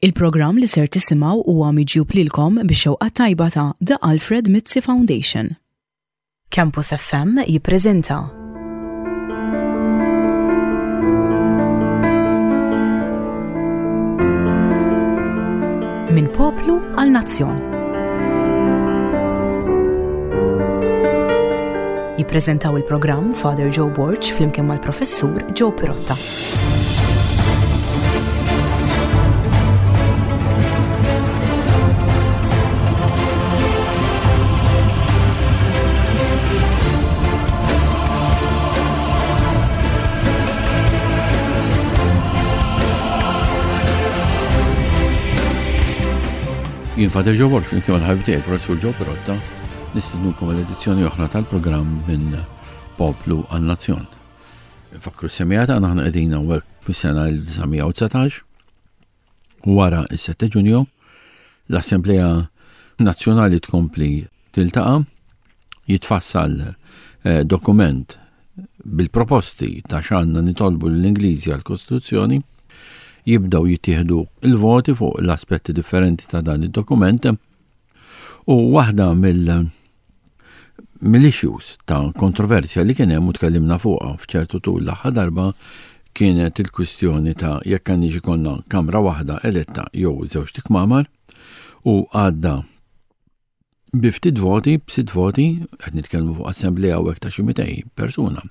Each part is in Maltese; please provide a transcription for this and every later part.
Il-programm li ser tisimgħu huwa miġjub lilkom bix-xewqa tajba ta' The Alfred Mizzi Foundation. Campus FM jippreżenta. Minn poplu għal nazzjon. Jippreżentaw il-programm Father Joe Borg flimkien mal-Professur Joe Pirotta. Jien Father Joe Wolf, flimkien mal-ħabib tiegħi Professur Joe Pirotta, nistednukom għal edizzjoni oħra tal-programm minn Poplu għal Nazzjon. Fakru s-semija tagħna aħna qegħdin hawnhekk fis-sena 1919 wara s-7 Ġunju l-Assemblea Nazzjonali tkompli tiltaqa' jitfassal eh, dokument bil-proposti ta' x'għandna nitolbu l-Ingliżi għall-Kostituzzjoni, jibdew jittieħdu il-voti fuq l-aspetti differenti ta' dan id-dokument u waħda mill- mill-issues ta' kontroversja li kien hemm u tkellimna fuqha f'ċertu tul l-aħħar darba kienet il-kwistjoni ta' jekk għandniex ikollna kamra waħda eletta jew żewġ tikmamar u għadda bi ftit voti, b'sitt voti, qed nitkellmu fuq assemblea u ta' xi 200 persuna.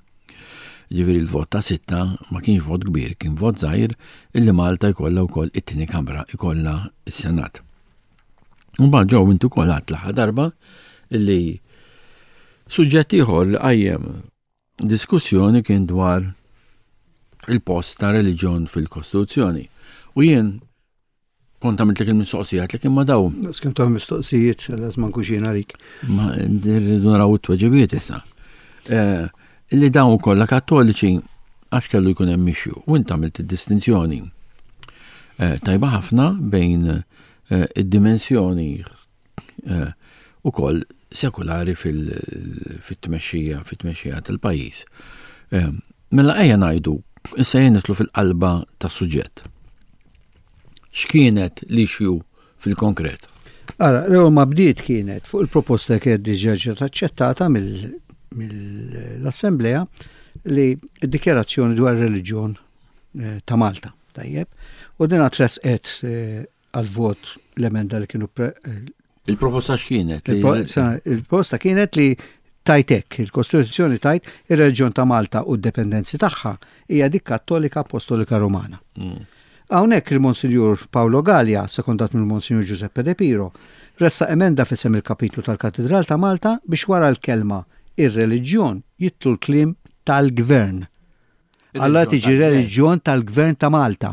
Ġifieri l-vot ta' sitta ma kienx vot kbir, kien vot żgħir illi Malta jkollha wkoll it-tieni kamra, ikollha s-Senat. U mbagħad ġew intu wkoll għadt l-aħħar darba li suġġett ieħor li qajjem diskussjoni kien dwar il-post ta' reliġjon fil-Kostituzzjoni. U jien kont għamilt il-mistoqsija li kien ma daw. Skem ta' mistoqsijiet, għaz ma nkunx jien għalik. Ma rridu naraw it-tweġibiet issa. Eh, li dawn kollha kattoliċi għax kellu jkun hemm issue. U int għamilt id-distinzjoni eh, tajba ħafna bejn eh, id-dimensjoni eh, ukoll sekulari fil-tmexxija fit-tmexxija tal-pajjiż. Mela ejja ngħidu, issa jien nitlu fil-qalba tas-suġġett. X'kienet l-issue fil-konkret? Ara, l-ewwel ma bdiet kienet fuq il-proposta kienet diġà ġiet aċċettata mill-Assemblea li d-dikjarazzjoni dwar reliġjon eh, ta' Malta. Tajjeb. U din tresqet eh, għal-vot l-emenda li kienu eh, Il-proposta x'kienet? Il-proposta kienet li tajtek, il-Kostituzzjoni tajt ir-reġjon ta' Malta u d-dependenzi tagħha hija dik Kattolika Apostolika Romana. Mm. Hawnhekk il-Monsinjur Paolo Gallia, sekondat mill-Monsinjur Giuseppe De Piro, ressa emenda f'isem il-kapitlu tal-Katidral ta' Malta biex wara l-kelma ir-reliġjon jitlu l-kliem tal-gvern. Alla tiġi reliġjon tal-gvern ta' Malta.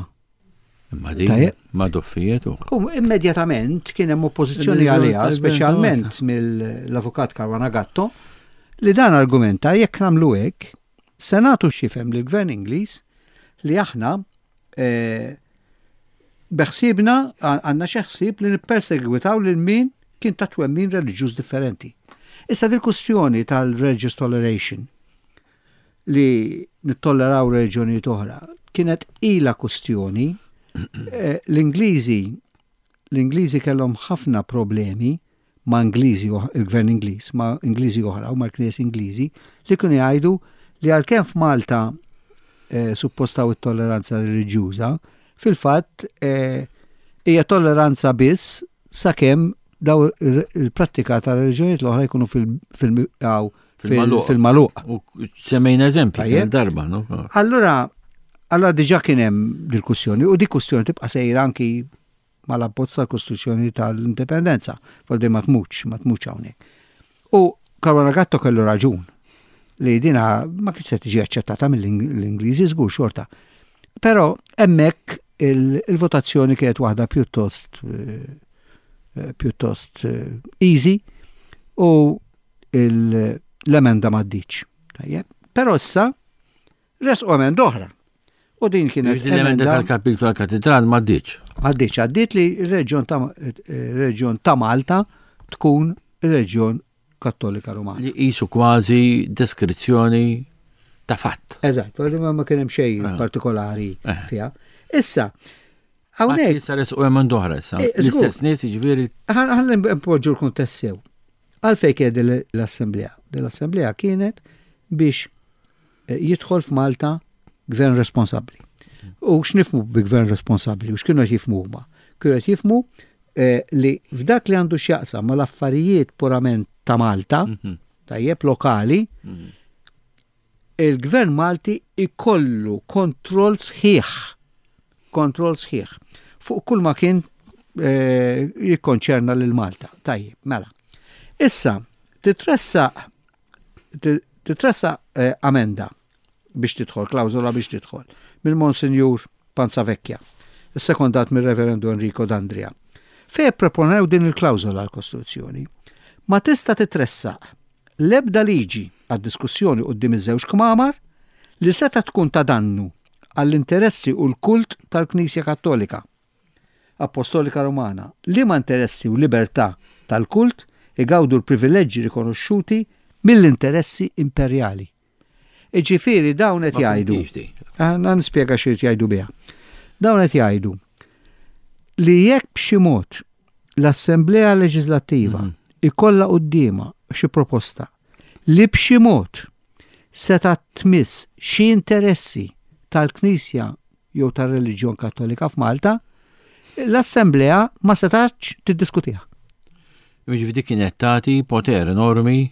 Imma din ma doffijiet u. U immedjatament kien hemm oppożizzjoni għaliha, speċjalment mill-avukat Caruana Gatto, li dan argumenta jekk nagħmlu hekk, se nagħtu x'jifhem lill-Gvern Ingliż li aħna eh, beħsiebna għandna xi ħsieb li nippersegwitaw lil min kien ta' twemmin reliġjuż differenti. Issa dil-kustjoni tal-religious toleration li nittolleraw reliġjonijiet oħra kienet ilha kustjoni eh, l-Ingliżi l-Ingliżi kellhom ħafna problemi ma' Ingliżi il-gvern Ingliż ma' Ingliżi oħra u mal-Knies Ingliżi li kienu jgħidu li għalkemm f'Malta eh, suppostaw it-tolleranza reliġjuża, fil-fatt eh, hija tolleranza biss sakemm daw il-prattika ta' reliġjonijiet l-oħra jkunu fil-maluq. U semmejna eżempji darba, no? Allura, allura diġà kien hemm dil-kussjoni u di kussjoni tibqa' sejra anki mal-abbozz tal-Kostituzzjoni tal-Indipendenza, voldi ma tmutx, ma tmutx hawnhekk. U Caruana Gatto kellu raġun li dina ma kienx se tiġi aċċettata mill-Ingliżi żgur xorta. Però hemmhekk il-votazzjoni kienet waħda pjuttost eh, eh, pjuttost eh, easy u l-emenda m'għaddiċ. Tajjeb. Però issa resqu emenda oħra. U din kienet l-emenda tal-kapitlu tal-katedral m'għaddiċ. M'għaddiċ, għaddiet li r-reġjon ta' reġjon ta' Malta tkun reġjon Kattolika Rumana. Li qisu kważi deskrizzjoni ta' fatt. Eżatt, ma kien hemm xejn ah. partikolari eh. fiha. Issa, Hawnhekk. Issa resqu hemm oħra issa. Eh, L-istess nies jiġifieri. Ħalli npoġġu l-kuntest sew. Għalfejn kienet l-assemblea? L-assemblea kienet biex eh, jidħol f'Malta gvern responsabbli. U x'nifmu bi gvern responsabbli u x'kienu qed jifmu huma? Kienu qed jifmu eh, li f'dak li għandu x'jaqsam mal-affarijiet purament ta' Malta, mhm. tajjeb lokali, mhm. Il-Gvern Malti jkollu kontroll sħiħ, kontroll sħiħ fuq kull ma kien eh, jikkonċerna lil Malta. Tajjeb, mela. Issa, titressaq titressaq eh, amenda biex tidħol, klawżola biex tidħol, mill-Monsinjur Panzavecchia, issekondat mir-Reverendu Enrico D'Andria. Fej proponew din il-klawżola l-Kostituzzjoni. Ma tista' titressaq l-ebda liġi għad-diskussjoni quddiem iż-żewġ kmamar li setgħet tkun ta' dannu għall-interessi u l-kult tal-Knisja Kattolika Appostolika Rumana, liema interessi u libertà tal-kult igawdu l-privileġġi rikonoxxuti mill-interessi imperjali. Iġifieri dawn qed jgħidu. Għandna nispjega xi jgħidu biha. Dawn qed jgħidu li jekk b'xi mod l-Assemblea Leġislattiva mhm. ikollha quddiemha xi proposta li b'xi mod seta' tmiss xi interessi tal-Knisja jew tar-reliġjon Kattolika f'Malta, l-Assemblea ma setax tiddiskutiha. Jiġifieri kienet tagħti poter enormi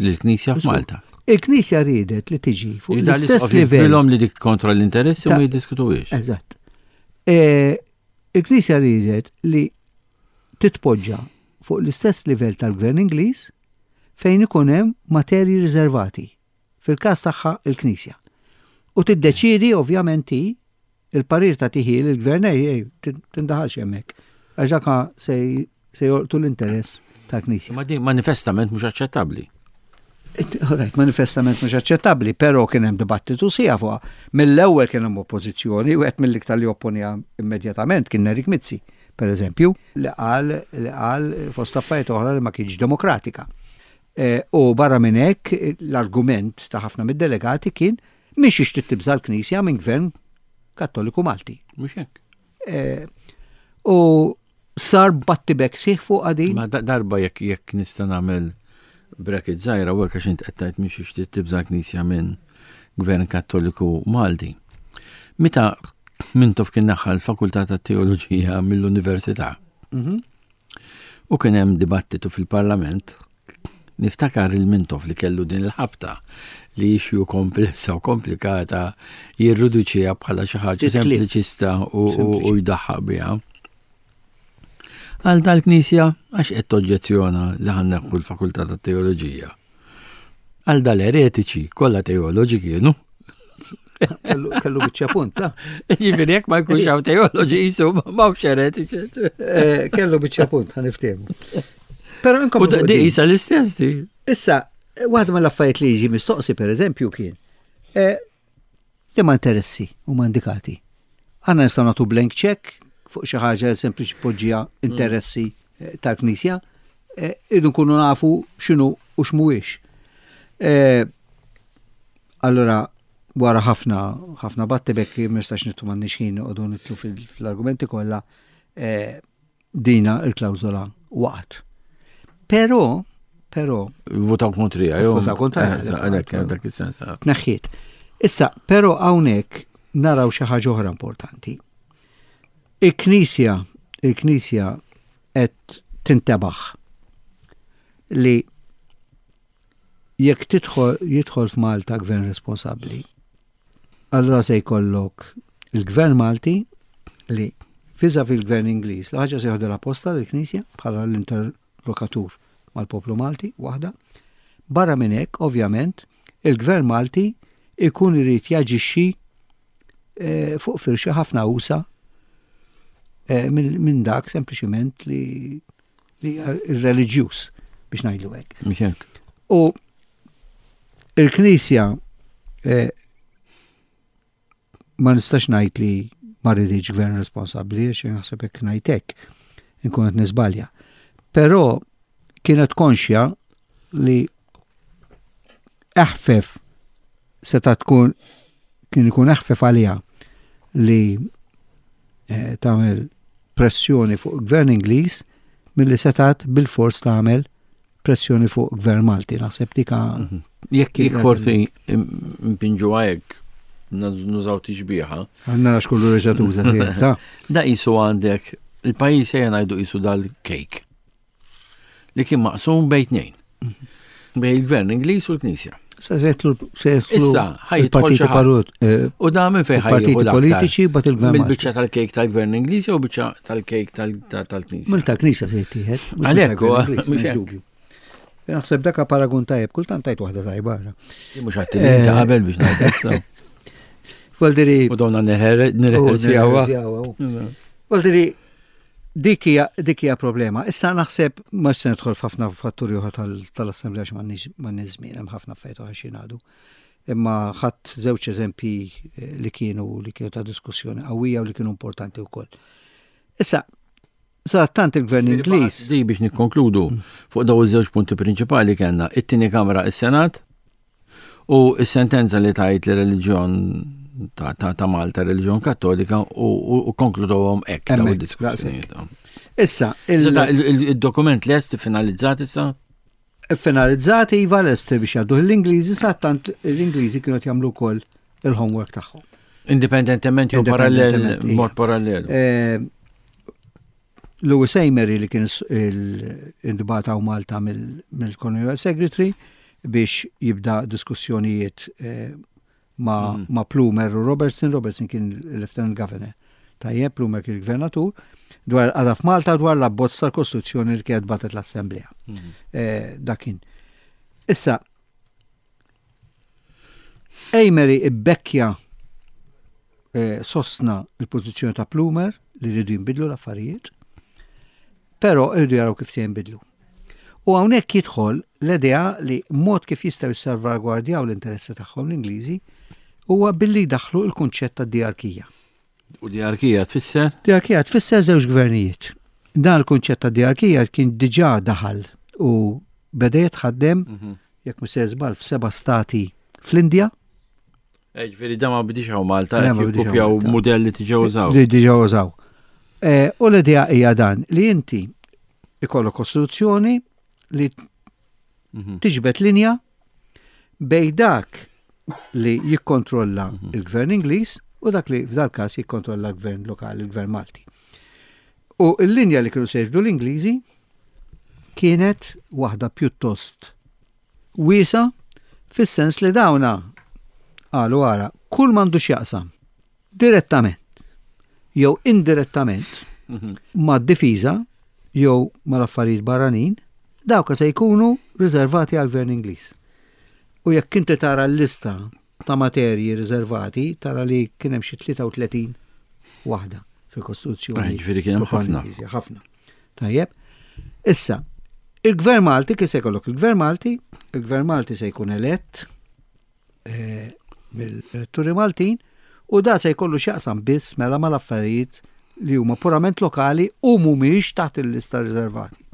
lill-Knisja f'Malta. Il-Knisja riedet li tiġi fuq l-istess livell. Bilhom li dik kontra l-interessi u ma jiddiskutuhiex. Eżatt. E, il-Knisja riedet li titpoġġa fuq l-istess livell tal-Gvern Ingliż fejn ikun hemm materji riservati. Fil-każ tagħha il-Knisja. U tiddeċiedi ovvjament hi Il-parir tagħtih hi lill-gvern ej, ej, tindaħalx hemmhekk. Għax dak se jolqtu l-interess tal-Knisja. Ma din manifestament mhux aċċettabbli. Right, manifestament mhux aċċettabbli, però kien hemm dibattitu sija fuqha. Mill-ewwel kien hemm oppożizzjoni u qed mill-iktar li opponija immedjatament kien Nerik Mizzi, per eżempju, li qal li qal fost affarijiet oħra li ma kienx demokratika. E, u barra minn hekk l-argument ta' ħafna mid-delegati kien Mhix ixtieq tibża' l-Knisja minn gvern Kattoliku Malti. Mhux hekk. Eh, u sar battibek sieħ fuq għadi. Ma darba jekk jekk nista' nagħmel bracket żgħira u hekk għax int qed tgħid mhix ixtieq tibża' l-Knisja minn gvern Kattoliku Malti. Meta Mintoff kien naħħa l-Fakultà tat-Teoloġija mill-Università. Mhm. U kien hemm dibattitu fil-Parlament Niftakar il-Mintoff li kellu din il-ħabta li issue komplessa u komplikata jirriduċiha bħala xi ħaġa sempliċista u jdaħħaq biha. Għal dal-Knisja għax qed toġġezzjona li ħanneħħu l-Fakultà tat-Teoloġija. Għal dal-eretiċi kollha teoloġi kienu. Kellu biċċa punt, ta' Ġifieri jekk ma jkunx hawn teoloġi jisu m'hawnx eretiċi. Eh, kellu biċċa punt, ħa niftehmu. Però inkom. U di isa l-istess di. Issa, waħda mill-affarijiet li jiġi mistoqsi pereżempju kien eh, li ma interessi huma indikati. Għanna nistgħu nagħtu blank check fuq xi ħaġa li sempliċi poġġija interessi eh, tal-Knisja, eh, irridu nkunu nafu x'inhu u x'mhuwiex. Eh, allura wara ħafna ħafna battibek ma nistax nittu m'għandniex ħin noqogħdu nitlu fil-argumenti kollha dina il-klawżola waqgħet. Però però Votaw kontrija, jew. Votaw kontrija. Għalhekk dak is-sens. Ah. Tneħħiet. Issa, però hawnhekk naraw xi ħaġa oħra importanti. Il-Knisja, il-Knisja qed tintebaħ li jekk tidħol jidħol f'Malta gvern responsabbli, allura se jkollok il-gvern Malti li fiża fil-gvern Ingliż, l-ħaġa se jieħdu l-apposta l-Knisja bħala l-interlokatur mal-poplu Malti, waħda. Barra minn hekk, ovvjament, il-gvern Malti ikun irid jaġixxi eh, fuq firxa ħafna usa eh, minn dak sempliċiment li li reliġjuż biex ngħidlu hekk. Mhux hekk. U il-Knisja eh, ma nistax ngħid li ma rridx gvern responsabbli għax naħseb hekk ngħid hekk inkun qed niżbalja. Però kienet konxja li eħfef seta' tkun kien ikun eħfef għaliha li eh, tagħmel pressjoni fuq gvern Ingliż milli setat bil-fors tagħmel pressjoni fuq gvern Malti. Naħseb dik mhm. Jekk jekk forsi mpinġu hekk nużaw tixbieħa. Għandna għax kullu reġa' tuża Da qisu għandek il-pajjiż ejja ngħidu qisu dal-kejk li kien maqsum bejn tnejn. Mhm. Bejn il-gvern Ingliż u l-Knisja. Sa setlu Issa, il-partiti parut. Eh, u da minn fejn Partiti politiċi bat il-gvern. Mill-biċċa tal-kejk tal-gvern Ingliż u biċċa tal-kejk tal-Knisja. Mill tal-Knisja se jittieħed. Għalhekk, mhux dubju. Naħseb daka paragun tajjeb, kultant tajt waħda tajba. Mhux għatti li ta' qabel biex ngħid. Voldiri. U donna nirreħersjawa. Voldiri, Dik hija dik hija problema. Issa naħseb ma se nidħol f'ħafna fatturi oħra tal-Assemblea għax m'għandniex żmien hemm ħafna affarijiet oħra xi ngħidu. Imma ħadd żewġ eżempji eh, li kienu li kienu ta' diskussjoni qawwija u li kienu importanti wkoll. Issa, sadattant il-Gvern Ingliż. Di biex nikkonkludu fuq daw iż-żewġ punti prinċipali kellna it-tieni Kamra is-Senat U s-sentenza li tajt li reliġjon ta', ta, ta Malta, reliġjon kattolika, u konkludowhom hekk daw id-diskussjonijiet. Issa, il-dokument lest finalizzat issa? Finalizzat iva lest biex jgħaddu l-Ingliżi, sa tant l-Ingliżi kienu jagħmlu wkoll il-homework tagħhom. Indipendentement jew parallel, mod parallel. Eh, Louis Amery li kien intbagħat hawn Malta mill-Colonial Secretary biex jibda diskussjonijiet eh, ma', mm. ma Plumer u Robertson, Robertson kien il-Lieutenant Governor. Tajjeb, Plumer kien il-Gvernatur, dwar għada f'Malta dwar l-abbozz tal-Kostituzzjoni li kienet batet l-Assemblea. Mm. Eh, Dakin. Issa, Amery ibbekkja eh, sostna il-pożizzjoni ta' Plumer li rridu jinbidlu l-affarijiet, però rridu jaraw kif se jinbidlu. U hawnhekk jidħol l-idea li mod kif jistgħu jissalvagwardjaw l-interessi tagħhom l-Ingliżi huwa billi jdaħħlu l-kunċett ta' diarkija. U diarkija tfisser? Diarkija tfisser żewġ gvernijiet. Dan il-kunċett ta' diarkija kien diġà daħal u beda jitħaddem mhm. jekk mhux se żball f'seba' stati fl-Indja. Eh, ġifieri da ma bidix hawn Malta, jikkupjaw mudell li diġà użaw. Li diġà użaw. Eh, u l-idea hija dan li inti ikollok kostituzzjoni li mhm. tiġbed linja bej dak li jikkontrolla mhm. il-gvern Ingliż u dak li f'dal każ jikkontrolla l-gvern lokali, il-gvern Malti. U l-linja li kienu se jiġbdu l-Ingliżi kienet waħda pjuttost wiesa fis-sens li dawna qalu ara kull m'għandu x'jaqsam direttament jew indirettament mhm. mad-difiża jew mal-affarijiet barranin, dawka se jkunu riservati għall-Gvern Ingliż. U jekk inti tara l-lista ta' materji riservati, tara li kien hemm xi 33 waħda fil-Kostituzzjoni. Ah, ġifieri kien hemm ħafna. Ħafna. Tajjeb. Issa, il-Gvern Malti kif se jkollok il-Gvern Malti, il-Gvern Malti se jkun elett eh, mill-Turi Maltin u da se jkollu x'jaqsam biss mela mal-affarijiet li huma purament lokali u mhumiex taħt il-lista riservati.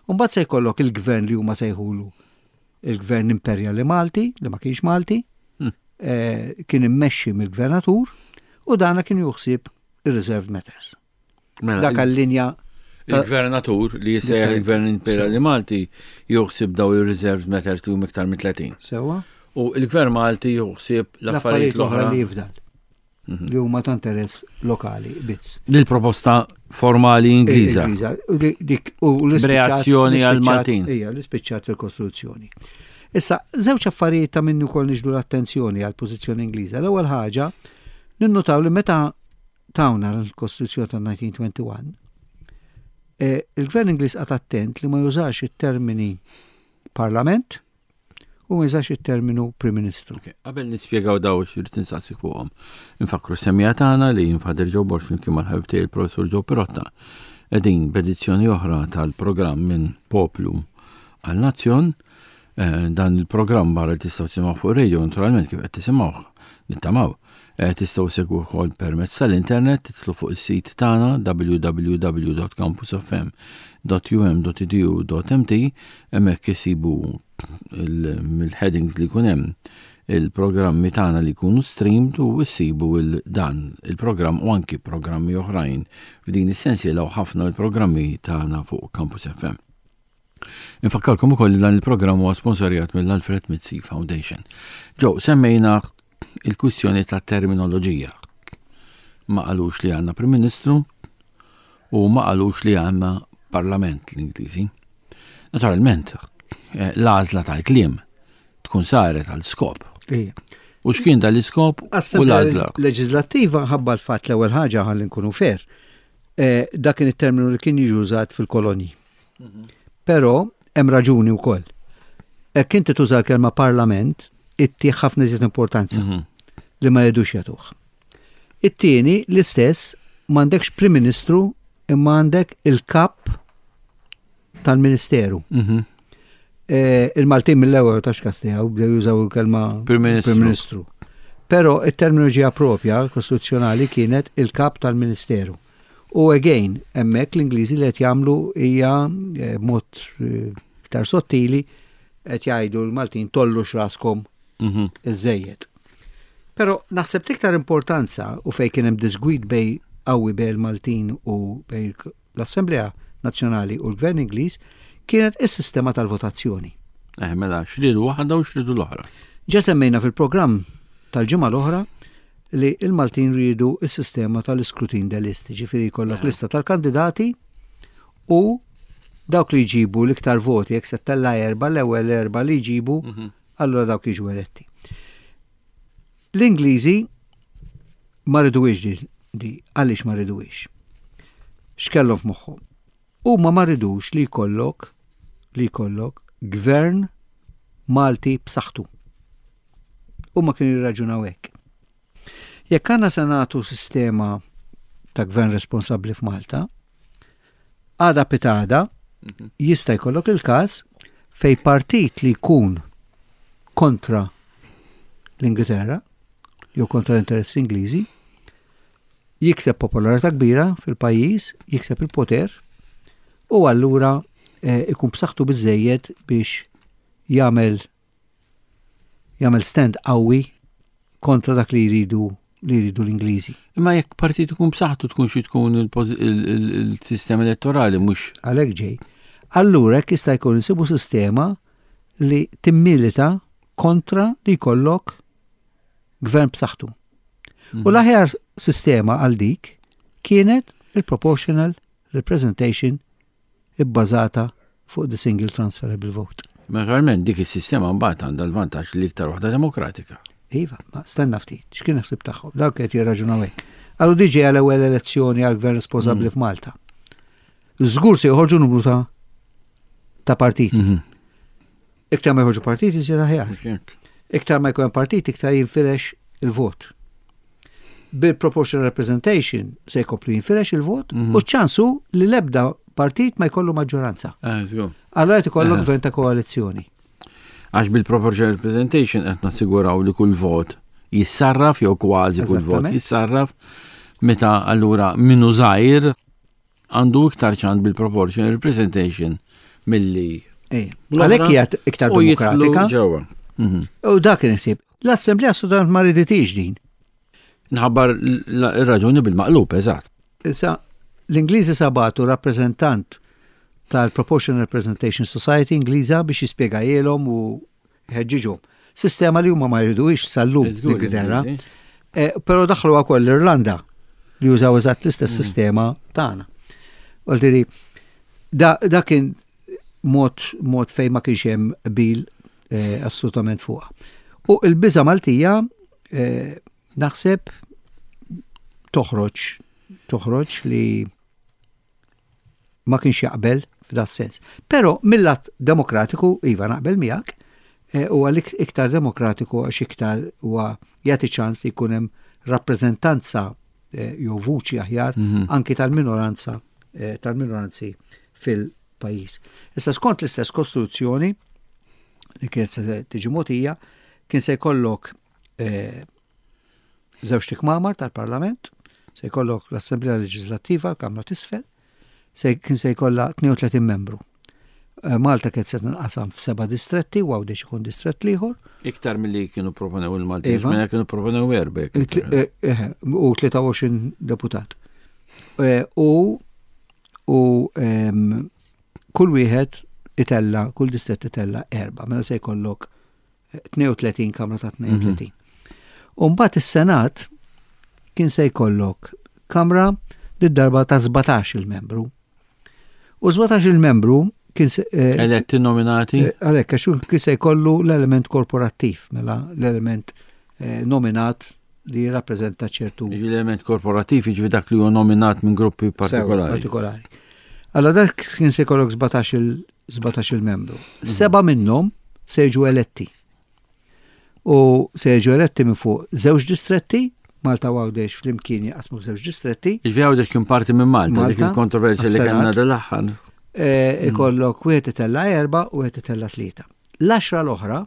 Mbagħad se jkollok il-gvern li huma sejħulu il-gvern imperjali Malti, li ma kienx Malti, hmm. eh, kien immexxi mill-gvernatur u dana kien juħsib il-reserved matters. Mela, Dak għall-linja Il-gvernatur li jissejjaħ il-Gvern Imperiali Malti juħsib daw il-reserved matters li huma iktar minn 30. Sewa. U il-Gvern Malti juħsib l-affarijiet l-oħra li jifdal. Mhm. Li huma ta' interess lokali biss. Dil proposta formali Ingliża. Reazzjoni għal Maltin. Ija, li spiċċat fil-Kostituzzjoni. Issa, żewġ affarijiet ta' minnu kol niġdu l-attenzjoni għal pożizzjoni Ingliża. L-ewwel ħaġa, ninnutaw li meta tawna l-Kostituzzjoni ta' 1921, eh, il-Gvern Ingliż qagħad attent li ma jużax it-termini Parlament u ma jużax it-terminu Prim Ministru. Qabel nispjegaw daw xirrid insaqsik fuqhom. Infakkru semmija tagħna li jinfader Joe Borg flimkien mal-ħabib tiegħi il-Professur Joe Pirotta qegħdin b'edizzjoni oħra tal-programm minn Poplu għal Nazzjon. Eh, dan il-programm barra li tistgħu tisimgħu fuq radio naturalment kif qed tisimgħuh nittamaw. Eh, tistgħu segwu wkoll permezz tal-internet titlu fuq is-sit tagħna www.campusfm.um.edu.mt hemmhekk isibu mill-headings li jkun hemm il-programmi tagħna li jkunu streamed u issibu il dan il-programm u anki programmi oħrajn f'din is-sensiela u ħafna mill-programmi tagħna fuq Campus FM. Infakkarkom ukoll li dan il-programm huwa sponsorjat mill-Alfred Mizzi Foundation. Ġew, semmejna il-kwistjoni ta' terminoloġija. Ma qalux li għandna Prim Ministru u ma qalux li għandna Parlament l-Ingliżi. Naturalment, eh, l-għażla tal-kliem tkun saret għal skop. U x'kien dal-iskop u l-għażla? Leġislattiva ħabba l-fatt l-ewwel ħaġa ħalli nkunu fair. Eh, dak kien it-terminu li kien jiġi użat fil-kolonji. Però hemm raġuni wkoll. Hekk inti tuża l-kelma parlament, ittih ħafna iżjed importanza mhm. li ma jridux jagħtuh. It-tieni l-istess m'għandekx Prim Ministru imma għandek il-kap tal-Ministeru. Mhm. Eh, il-Maltin mill-ewwel ta' xkastijaw bdew jużaw il-kelma Prim Ministru. Però it-terminoloġija propja kostituzzjonali kienet il-kap tal-Ministeru. U again, hemmhekk l-Ingliżi li qed jagħmlu hija eh, mod eh, iktar sottili qed jgħidu l-Maltin tollux raskom mhm. iżejjed. Però naħseb iktar importanza u fejn kien hemm disgwid bej qawwi bej il-Maltin u bej l-Assemblea Nazzjonali u l-Gvern Ingliż kienet is-sistema tal-votazzjoni. Eh, mela, xridu waħda u xridu l-oħra. Ġa semmejna fil-programm tal-ġimgħa l-oħra li l-Maltin riedu s-sistema tal-iskrutin de list, ġifieri jkollok eh. lista tal-kandidati u dawk li jġibu l-iktar voti, jekk se tella erba l-ewwel erba li jġibu, mhm. allura dawk jiġu eletti. L-Ingliżi ma riduwiex di, għaliex ma riduwiex? X'kellhom f'moħħhom? Huma ma ridux li jkollok li jkollok gvern Malti b'saħħtu. Huma kienu jirraġunaw hekk. Jekk għandna se nagħtu sistema ta' gvern responsabbli f'Malta, għada pitada mhm. jista' jkollok il-każ fej partit li jkun kontra l-Ingilterra jew kontra l-interessi Ingliżi jikseb popolarità kbira fil-pajjiż, jikseb il-poter u allura eh, ikun b'saħħtu biżejjed biex jagħmel jagħmel stand qawwi kontra dak li jridu li jridu l-Ingliżi. Imma jekk partit ikun b'saħħtu tkun xi tkun il-sistema elettorali mhux. Għalhekk ġej. Allura jekk jista' jkun insibu sistema li timmilita kontra li jkollok gvern b'saħħtu. U mhm. l-aħjar sistema għal dik kienet il-proportional representation ibbażata fuq the single transferable vote. Naturalment dik is-sistema mbagħad għandha l-vantaġġ li iktar waħda demokratika. Iva, ma stenna ftit, x'kien ħsib tagħhom, dawk qed jirraġunaw hekk. Għallu diġi għal ewwel elezzjoni għal gvern responsabbli mm. f'Malta. Żgur se joħorġu numru ta' ta' partiti. Mhm. Iktar ma jħorġu partiti, iżjed aħjar. Iktar ma jkun partiti, iktar jinfirex il-vot. Bil-proportional representation se jkomplu jinfirex il-vot mhm. u ċansu li l-ebda partit ma jkollu maġġoranza. Eh, Allora qed ikollok eh. gvern ta' koalizzjoni. Għax bil-proportional representation qed nassiguraw li kull vot jissarraf jew kważi kull vot jissarraf meta allura minnu żgħir għandu iktar ċans bil-proportional representation milli. Għalhekk hija iktar demokratika. Ġewwa. Mhm. U dak kien ħsieb. L-Assemblea Assolutament ma riditix din. Nħabbar ir-raġuni bil-maqlub, eżatt. Issa, l-Ingliżi sabatu rappreżentant tal-Proportional Representation Society Ingliża biex jispjegajielhom u jħeġġiġhom. Sistema li huma ma jriduhiex sal-lum l-Ingilterra. Eh, però daħlu wkoll l-Irlanda li jużaw eżatt l-istess mm. sistema tagħna. Għaldiri, da, da kien mod, mod fejn ma kienx hemm qbil eh, assolutament fuqha. U l-biża Maltija eh, naħseb toħroġ toħroġ li ma kienx jaqbel f'da sens. Però mill-lat demokratiku, iva naqbel miegħek, eh, huwa l-iktar demokratiku għax iktar huwa jagħti ċans li jkun hemm rappreżentanza eh, jew vuċi aħjar mhm. anki tal-minoranza eh, tal-minoranzi fil-pajjiż. Issa skont l-istess kostituzzjoni, li kienet se tiġi mogħtija kien se jkollok eh, żewġ tikmamar tal-Parlament, se jkollok l-Assemblea Leġislattiva, Kamra t'Isfel, se kien se jkollha 32 membru. Eh, Malta kienet se tinqasam f'seba' distretti u Għawdex ikun distrett l-ieħor. Iktar milli kienu proponew il-Malti, Iva. mela kienu proponew erba. Eh, eh, u 23 deputat. U u ehm, kull wieħed itella, kull distrett itella erba, mela se jkollok 32 kamra ta' 32. U mbagħad is-Senat kien se jkollok kamra lid-darba ta' 17 il-membru. U 17 il-membru kien se eh, eletti nominati. Eh, għalhekk għax kien se jkollu l-element korporattiv, mela l-element eh, nominat li jirrappreżenta ċertu. L-element korporattiv jiġri dak li huwa nominat minn gruppi partikolari. Partikolari. Allora dak kien se jkollok 17 il-membru. Mhm. Seba minnhom se jiġu eletti. U se jiġu eletti minn fuq żewġ distretti, Malta u Għawdex flimkien jaqsmu f'żewġ distretti. Jiġifieri Għawdex kien parti minn Malta, dik il-kontroversja li kellna dal-aħħar. Eh, ikollok wieħed itella erba' u wieħed itella tlieta. L-għaxra l-oħra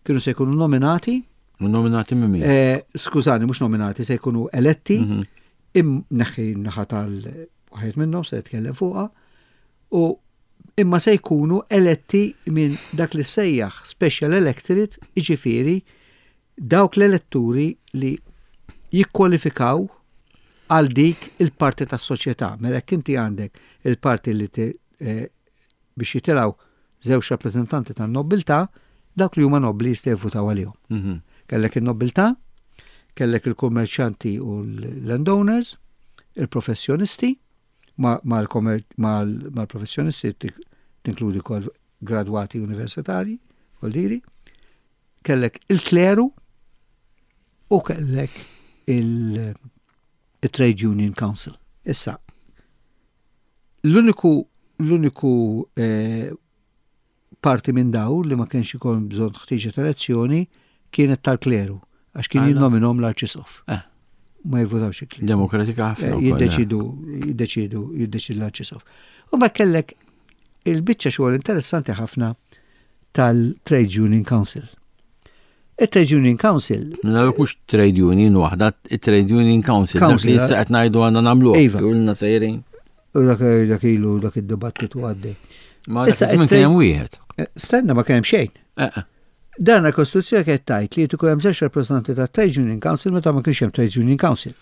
kienu se jkunu nominati. Nominati minn min? Eh, skużani, mhux nominati, se jkunu eletti, mhm. im neħħi naħa tal-waħed minnhom se jitkellem fuqha, u imma se jkunu eletti minn dak li sejjaħ special electorate, jiġifieri dawk l-eletturi li jikkwalifikaw għal dik il-parti tas-soċjetà. Mela jekk inti għandek il-parti li eh, biex jitilgħu żewġ rappreżentanti tan-nobbiltà, dawk li huma nobbli jista' jivvutaw għalihom. Mhm. Kellek in-nobbiltà, kellek il-kummerċjanti u l-landowners, il-professjonisti, mal-professjonisti tinkludi kol gradwati universitari, diri, kellek il-kleru u kellek il-Trade Union Council. Issa, l-uniku l-uniku eh, parti minn daw li ma kienx ikun bżonn ħtieġa ta' elezzjoni kienet tal-kleru, għax kien jinnominom l-arċisof. Eh. Ma jivvotawx il-kleru. Demokratika ħafna. Eh, jiddeċidu, jiddeċidu, jiddeċidu l-arċisof. U ma kellek il-biċċa xogħol interessanti ħafna tal-Trade Union Council. Il-Trade Union Council. Mela mhux Trade Union waħda, il-Trade Union Council. Dak li issa qed ngħidu għandna nagħmluh. Iva. Ilna sejrin. U dak dak ilu dak id-dibattitu għaddej. Ma issa kien hemm wieħed. Eh, stenna ma kien hemm xejn. Eh, eh. Dan il-Kostituzzjoni kienet tajt li jkun hemm żewġ rappreżentanti ta' Trade Union Council meta ma kienx hemm Trade Union Council.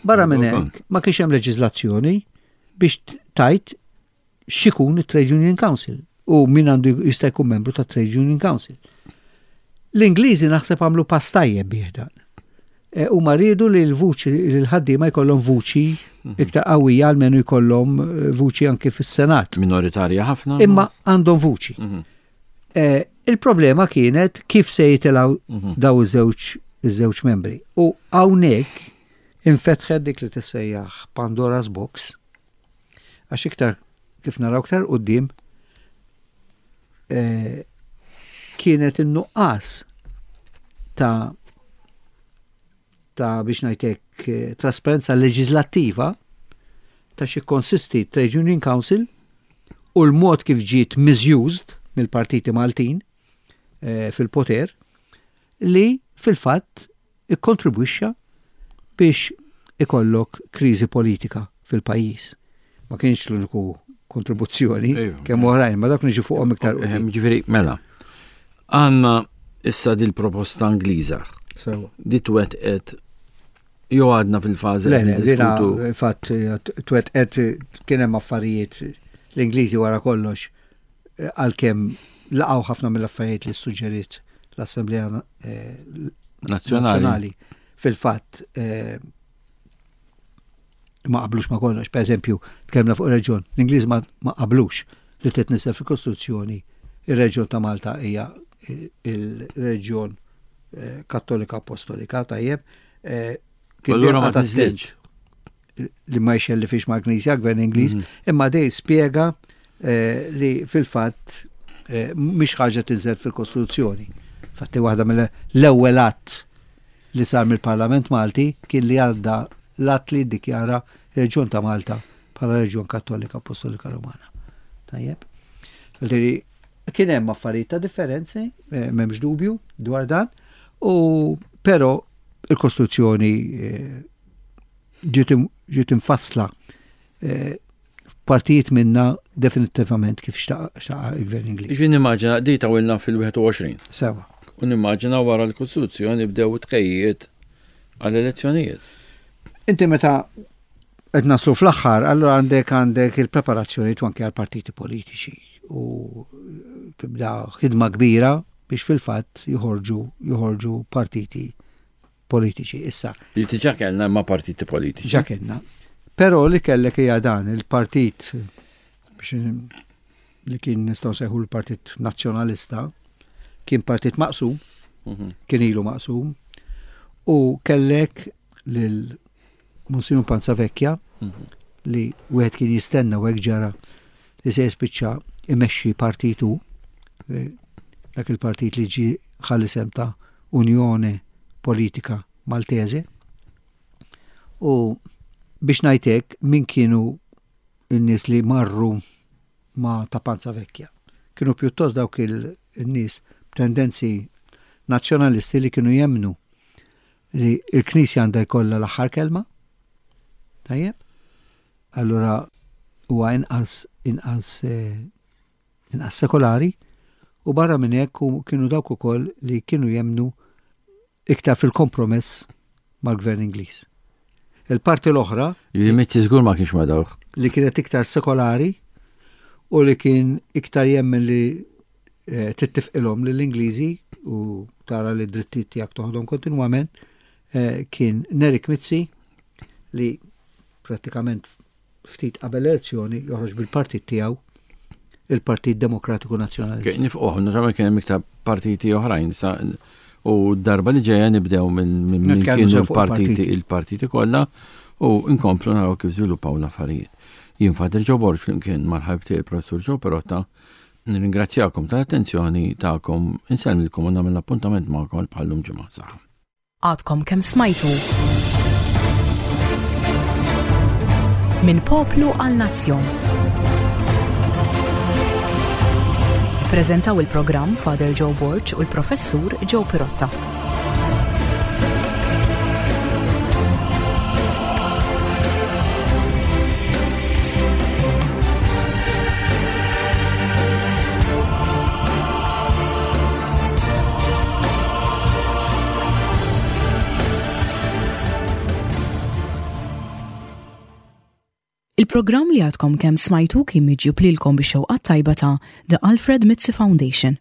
Barra minn hekk ma kienx hemm leġiżlazzjoni biex tajt x'ikun it-Trade Union Council u min għandu jista' jkun membru ta' Trade Union Council. L-Ingliżi naħseb għamlu pass tajjeb bih dan. E, u ma riedu li l-vuċi li l-ħaddiema jkollhom vuċi mhm. iktar qawwija almenu jkollhom e, vuċi anki fis-Senat. Minoritarja ħafna. Imma għandhom vuċi. Mhm. E, il-problema kienet kif se jitilgħu mhm. daw iż-żewġ iż-żewġ membri. U hawnhekk infetħet dik li tissejjaħ Pandora's Box Għax iktar kif naraw iktar quddiem eh, kienet in-nuqqas ta' ta' biex ngħidlek eh, trasparenza leġislattiva ta' xi konsisti Trade Union Council u l-mod kif ġiet misused mill-partiti Maltin eh, fil-poter li fil-fatt ikkontribwixxa biex ikollok kriżi politika fil-pajjiż. Ma kienx l-uniku kontribuzzjoni, kemm oħrajn, ma dak niġu fuqhom iktar. Ġifieri, mela, għandna issa dil proposta Ingliża. Di twettqet jew għadna fil-fażi. Le, le, dina fatt twettqet kien hemm affarijiet l-Ingliżi wara kollox għalkemm laqgħu ħafna mill-affarijiet li ssuġġeriet l-Assemblea eh, Nazzjonali. Fil-fatt eh, ma qablux ma kollox. Per eżempju, tkellmna fuq reġjon, l-Ingliż ma qablux li titnisel fil-Kostituzzjoni ir-reġjon ta' Malta hija eh, il-reġjon Kattolika Apostolika, tajjeb. Kien Allura ma tiżlitx li ma jxellifix mal-Knisja, gvern Ingliż, mhm. imma dej spjega eh, li fil-fatt eh, mhix ħaġa tinżel fil-Kostituzzjoni. Fatti waħda mill-ewwel att li sar mill-Parlament Malti kien li għadda l-att li ddikjara reġjun ta' Malta bħala reġjun Kattolika Apostolika Romana. Tajjeb. Kien hemm affarijiet ta' differenzi, eh, m'hemmx dubju dwar dan, u però il-Kostituzzjoni eh, ġiet imfassla eh, partijiet minna definittivament kif xtaqa il-gvern Ingliż. Ġi nimmaġina di tawilna fil-21. Sewa. U nimmaġina wara l-Kostituzzjoni bdew tħejjiet għall-elezzjonijiet. Inti meta qed naslu fl-aħħar, allura għandek għandek il-preparazzjoni anke għal partiti politiċi u tibda ħidma kbira biex fil-fatt joħorġu joħorġu partiti politiċi. Issa. Li diġà kellna imma partiti politiċi. Ġa kellna. Però li kellek hija dan il-partit biex li kien nistgħu sejħu l-Partit Nazzjonalista kien partit maqsum, mhm. kien ilu maqsum, u kellek lil Monsignor Panzavecchia mhm. li wieħed kien jistenna u hekk ġara li se jispiċċa imexxi partitu eh, dak il-partit li ġi ħalli sem ta' Unjoni Politika Maltese. U biex ngħidlek min kienu n-nies li marru ma' ta' Panzavecchia. Kienu pjuttost dawk il-nies b'tendenzi nazzjonalisti li kienu jemmnu li l-Knisja għandha jkollha l-aħħar kelma. Tajjeb? Allura huwa inqas inqas eh, inqas sekolari u barra minn hekk kienu dawk ukoll li kienu jemmnu iktar fil-kompromess mal-gvern Ingliż. Il-parti l-oħra. Li Mizzi żgur ma kienx ma dawk. Li kienet iktar sekolari u li kien iktar jemmen li eh, tittifqilhom lill-Ingliżi u tara li d-drittijiet tiegħek toħodhom kontinwament eh, kien Nerik Mizzi li prattikament ftit qabel elezzjoni joħroġ bil-partit tiegħu il-Partit Demokratiku Nazzjonalista. Nifqoħ, naturalment kien hemm iktar partiti oħrajn sa u darba li ġejja nibdew minn kienu l-partiti il-partiti kollha u nkomplu naraw kif żviluppaw l-affarijiet. Jien Father Joe Borg flimkien mal-ħabib tiegħi Professur Joe Perotta nirringrazzjakom tal-attenzjoni tagħkom, insellmilkom u nagħmel appuntament magħkom bħallum ġimgħa saħħa. Għadkom kemm smajtu. Minn poplu għal nazzjon. Preżentaw il-programm Father Joe Borg u l-Professur Joe Pirotta. Il-programm li għadkom kemm smajtu kien miġjub lilkom bix-xewqat tajba ta' The Alfred Mizzi Foundation.